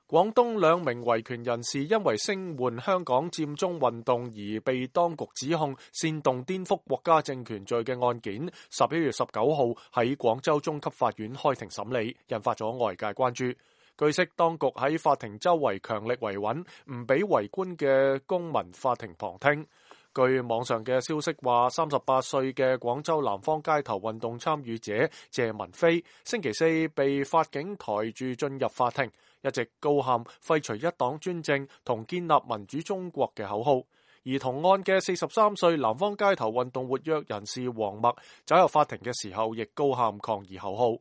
廣東兩名維權人士因為聲援香港佔中運動而被當局指控煽動顛覆國家政權罪嘅案件，11月19號喺廣州中級法院開庭審理，引發咗外界關注。據悉，當局喺法庭周圍強力維穩，唔俾圍觀嘅公民法庭旁聽。據網上嘅消息話，38歲嘅廣州南方街頭運動參與者謝文飛，星期四被法警抬住進入法庭，一直高喊廢除一黨專政同建立民主中國嘅口號。而同案嘅43歲南方街頭運動活躍人士黃默走入法庭嘅時候，亦高喊抗議口號。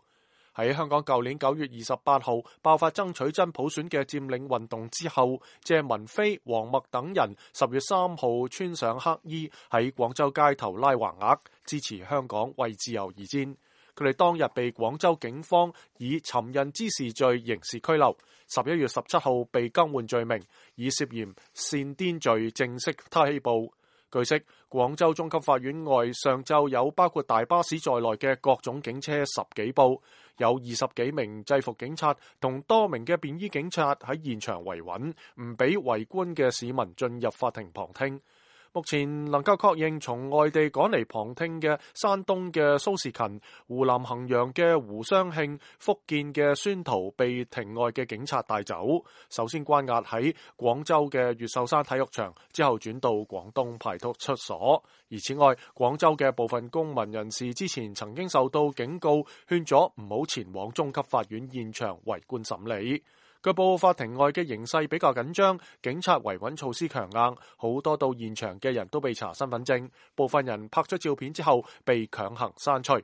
喺香港舊年9月28號爆發爭取真普選嘅佔領運動之後，謝文飛、黃默等人10月3號穿上黑衣喺廣州街頭拉橫額，支持香港為自由而戰。佢哋當日被廣州警方以尋釁滋事罪刑事拘留，11月17號被更換罪名，以涉嫌煽顛罪正式拘捕。據悉，廣州中級法院外上晝有包括大巴士在內嘅各種警車10幾部，有20幾名制服警察同多名嘅便衣警察喺現場維穩，唔俾圍觀嘅市民進入法庭旁聽。目前能夠確認從外地趕嚟旁聽嘅山東嘅蘇士勤、湖南衡陽嘅胡雙慶、福建嘅孫濤被庭外嘅警察帶走，首先關押喺廣州嘅越秀山體育場，之後轉到廣東派出所。而此外，廣州嘅部分公民人士之前曾經受到警告，勸咗唔好前往中級法院現場圍觀審理。據報法庭外嘅形勢比較緊張，警察維穩措施強硬，好多到現場嘅人都被查身份證，部分人拍咗照片之後被強行刪除。